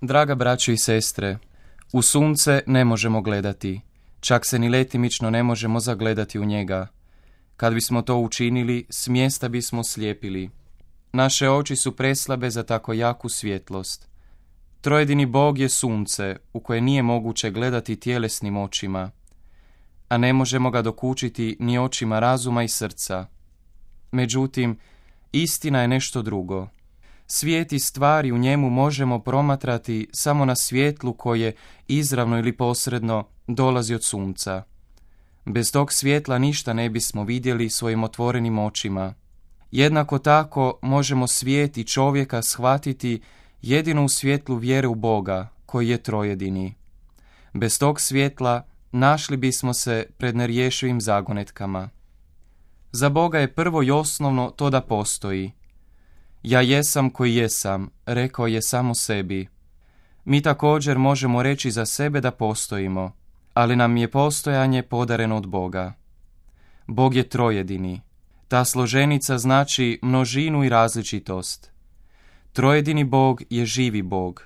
Draga braćo i sestre, u sunce ne možemo gledati, čak se ni letimično ne možemo zagledati u njega. Kad bismo to učinili, smjesta bismo slijepili. Naše oči su preslabe za tako jaku svjetlost. Trojedini Bog je sunce u koje nije moguće gledati tjelesnim očima, a ne možemo ga dokučiti ni očima razuma i srca. Međutim, istina je nešto drugo. Svijet i stvari u njemu možemo promatrati samo na svjetlu koje, izravno ili posredno, dolazi od sunca. Bez tog svjetla ništa ne bismo vidjeli svojim otvorenim očima. Jednako tako možemo svijet i čovjeka shvatiti jedino u svjetlu vjere u Boga, koji je trojedini. Bez tog svjetla našli bismo se pred nerješivim zagonetkama. Za Boga je prvo i osnovno to da postoji. Ja jesam koji jesam, rekao je samo sebi. Mi također možemo reći za sebe da postojimo, ali nam je postojanje podareno od Boga. Bog je trojedini. Ta složenica znači množinu i različitost. Trojedini Bog je živi Bog.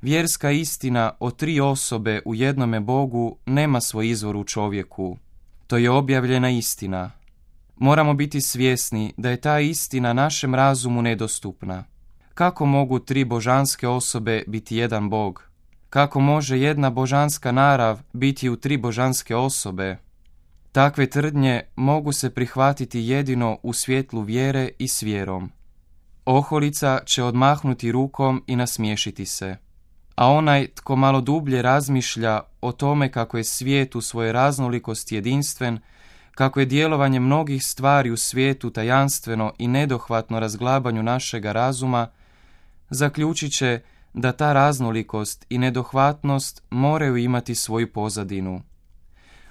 Vjerska istina o tri osobe u jednome Bogu nema svoj izvor u čovjeku. To je objavljena istina. Moramo biti svjesni da je ta istina našem razumu nedostupna. Kako mogu tri božanske osobe biti jedan Bog? Kako može jedna božanska narav biti u tri božanske osobe? Takve tvrdnje mogu se prihvatiti jedino u svjetlu vjere i s vjerom. Oholica će odmahnuti rukom i nasmiješiti se. A onaj tko malo dublje razmišlja o tome kako je svijet u svojoj raznolikosti jedinstven, kako je djelovanje mnogih stvari u svijetu tajanstveno i nedohvatno razglabanju našega razuma, zaključit će da ta raznolikost i nedohvatnost moraju imati svoju pozadinu.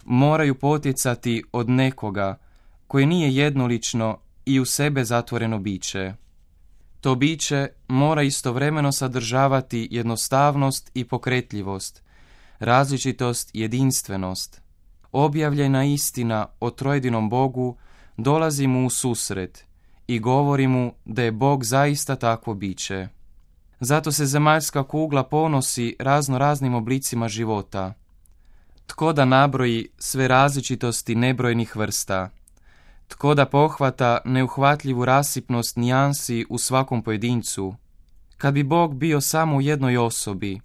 Moraju potjecati od nekoga koji nije jednolično i u sebe zatvoreno biće. To biće mora istovremeno sadržavati jednostavnost i pokretljivost, različitost i jedinstvenost. Objavljena istina o trojedinom Bogu dolazi mu u susret i govori mu da je Bog zaista takvo biće. Zato se zemaljska kugla ponosi raznim oblicima života. Tko da nabroji sve različitosti nebrojnih vrsta? Tko da pohvata neuhvatljivu rasipnost nijansi u svakom pojedincu? Kad bi Bog bio samo u jednoj osobi,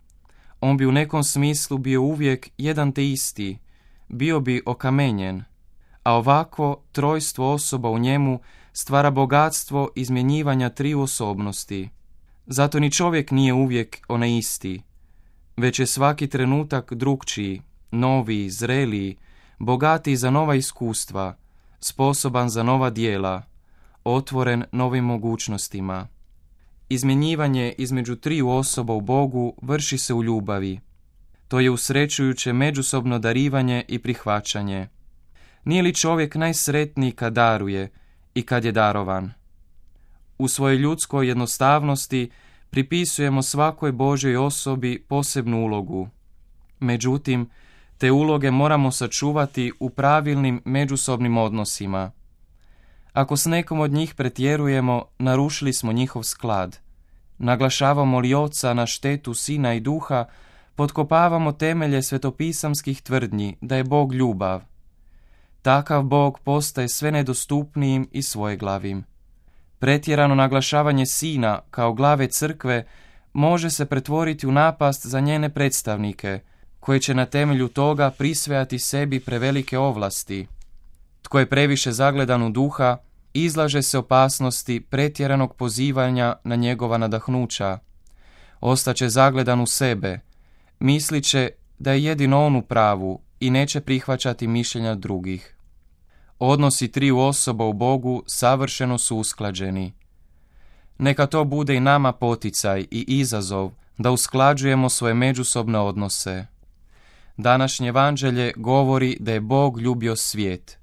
on bi u nekom smislu bio uvijek jedan te isti, bio bi okamenjen, a ovako trojstvo osoba u njemu stvara bogatstvo izmjenjivanja triju osobnosti. Zato ni čovjek nije uvijek onaj isti, već je svaki trenutak drukčiji, noviji, zreliji, bogatiji za nova iskustva, sposoban za nova djela, otvoren novim mogućnostima. Izmjenjivanje između triju osoba u Bogu vrši se u ljubavi. To je usrećujuće međusobno darivanje i prihvaćanje. Nije li čovjek najsretniji kad daruje i kad je darovan? U svojoj ljudskoj jednostavnosti pripisujemo svakoj Božjoj osobi posebnu ulogu. Međutim, te uloge moramo sačuvati u pravilnim međusobnim odnosima. Ako s nekom od njih pretjerujemo, narušili smo njihov sklad. Naglašavamo li Oca na štetu Sina i Duha, potkopavamo temelje svetopisamskih tvrdnji da je Bog ljubav. Takav Bog postaje sve nedostupnijim i svojeglavim. Pretjerano naglašavanje Sina kao glave crkve može se pretvoriti u napast za njene predstavnike, koji će na temelju toga prisvajati sebi prevelike ovlasti. Tko je previše zagledan u Duha, izlaže se opasnosti pretjeranog pozivanja na njegova nadahnuća. Ostaće zagledan u sebe, mislit će da je jedino on u pravu i neće prihvaćati mišljenja drugih. Odnosi triju osoba u Bogu savršeno su usklađeni. Neka to bude i nama poticaj i izazov da usklađujemo svoje međusobne odnose. Današnje evanđelje govori da je Bog ljubio svijet.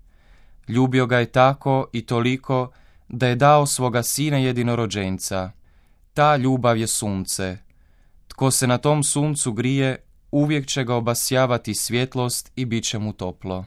Ljubio ga je tako i toliko da je dao svoga Sina jedinorođenca. Ta ljubav je sunce. Tko se na tom suncu grije, uvijek će ga obasjavati svjetlost i bit će mu toplo.